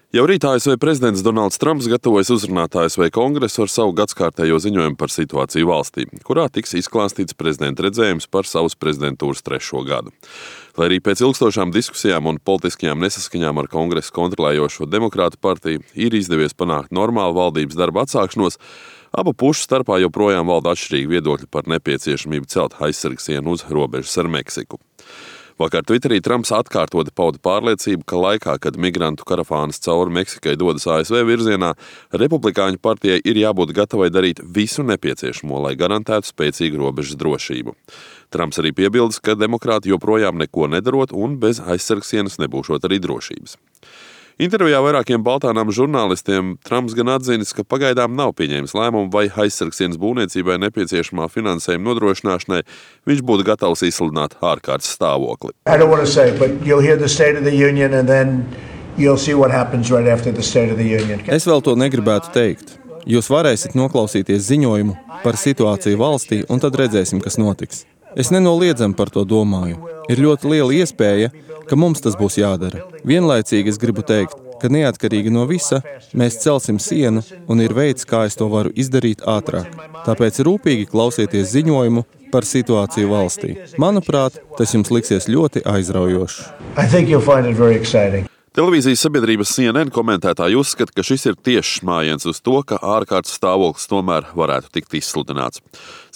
Jau rīt ASV prezidents Donalds Trumps gatavojas uzrunāt ASV kongresu ar savu gadskārtējo ziņojumu par situāciju valstī, kurā tiks izklāstīts prezidenta redzējums par savas prezidentūras 3. gadu. Lai arī pēc ilgstošām diskusijām un politiskajām nesaskaņām ar kongresu kontrolējošo demokrātu partiju ir izdevies panākt normālu valdības darba atsākšanos, abu pušu starpā joprojām valda atšķirīgi viedokļi par nepieciešamību celt aizsargsienu uz robežas ar Meksiku. Vakar Twitterī Trumps atkārtoti pauda pārliecību, ka laikā, kad migrantu karavānas cauri Meksikai dodas ASV virzienā, Republikāņu partijai ir jābūt gatavai darīt visu nepieciešamo, lai garantētu spēcīgu robežas drošību. Trumps arī piebildes, ka demokrāti joprojām neko nedarot un bez aizsargsienas nebūšot arī drošības. Intervijā vairākiem Baltānām žurnālistiem Trumps gan atzinis, ka pagaidām nav pieņēmis lēmumu, vai aizsargsienas būvniecībai nepieciešamā finansējuma nodrošināšanai viņš būtu gatavs izsludināt ārkārtas stāvokli. Es vēl to negribētu teikt. Jūs varēsiet noklausīties ziņojumu par situāciju valstī, un tad redzēsim, kas notiks. Es nenoliedzami par to domāju. Ir ļoti liela iespēja, ka mums tas būs jādara. Vienlaicīgi es gribu teikt, ka neatkarīgi no visa, mēs celsim sienu un ir veids, kā es to varu izdarīt ātrāk. Tāpēc rūpīgi klausieties ziņojumu par situāciju valstī. Manuprāt, tas jums liksies ļoti aizraujošs. Televīzijas sabiedrības CNN komentētāji uzskata, ka šis ir tiešs mājiens uz to, ka ārkārtas stāvoklis tomēr varētu tikt izsludināts.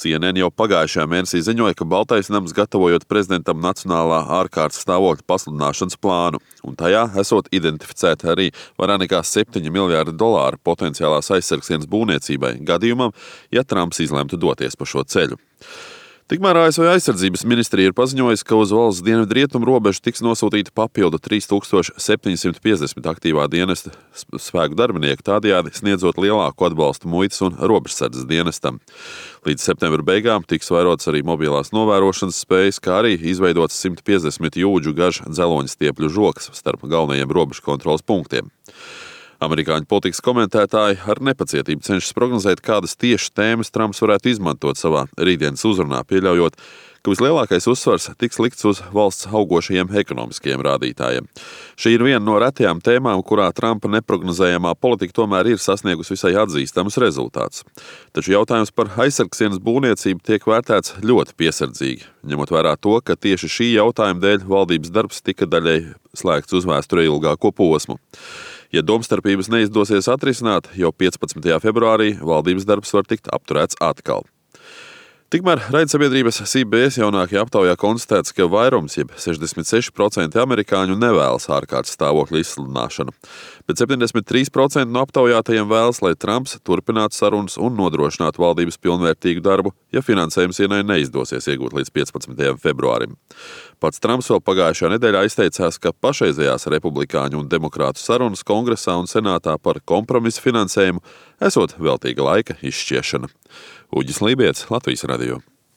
CNN jau pagājušajā mēnesī ziņoja, ka Baltais nams gatavojot prezidentam nacionālā ārkārtas stāvokļa pasludināšanas plānu, un tajā esot identificēta arī vairāk nekā $7 miljārdi potenciālās aizsargsienas būvniecībai gadījumam, ja Trumps izlemtu doties pa šo ceļu. Tikmēr ASV aizsardzības ministrija ir paziņojusi, ka uz valsts dienvidrietumu robežu tiks nosūtīti papildu 3750 aktīvā dienesta spēku darbinieku, tādējādi sniedzot lielāku atbalstu muitas un robežsardzes dienestam. Līdz septembra beigām tiks vairots arī mobilās novērošanas spējas, kā arī izveidots 150 jūdžu garš dzeloņa stiepļu žoks starp galvenajiem robežu kontroles punktiem. Amerikāņu politikas komentētāji ar nepacietību cenšas prognozēt, kādas tieši tēmas Trumps varētu izmantot savā rītdienas uzrunā, pieļaujot, ka vislielākais uzsvars tiks likts uz valsts augošajiem ekonomiskajiem rādītājiem. Šī ir viena no retajām tēmām, kurā Trumpa neprognozējamā politika tomēr ir sasniegusi visai atzīstamus rezultātus. Taču jautājums par aizsargsienas būvniecību tiek vērtēts ļoti piesardzīgi, ņemot vērā to, ka tieši šī jautājuma dēļ valdības darbs tika daļai slēgts uz vēsturē ilgāko posmu. Ja domstarpības neizdosies atrisināt, jau 15. februārī valdības darbs var tikt apturēts atkal. Tikmēr raidsabiedrības CBS jaunākajā aptaujā konstatēts, ka vairums, jeb 66% amerikāņu nevēlas ārkārtas stāvokļa izsludināšanu, bet 73% no aptaujātajiem vēlas, lai Trumps turpinātu sarunas un nodrošinātu valdības pilnvērtīgu darbu, ja finansējums ienai neizdosies iegūt līdz 15. februārim. Pats Trumps vēl pagājušajā nedēļā izteicās, ka pašreizējās republikāņu un demokrātu sarunas kongresā un senātā par kompromisu finansējumu esot veltīga laika izšķiešana. Uģis Lībijets, Latvijas radio.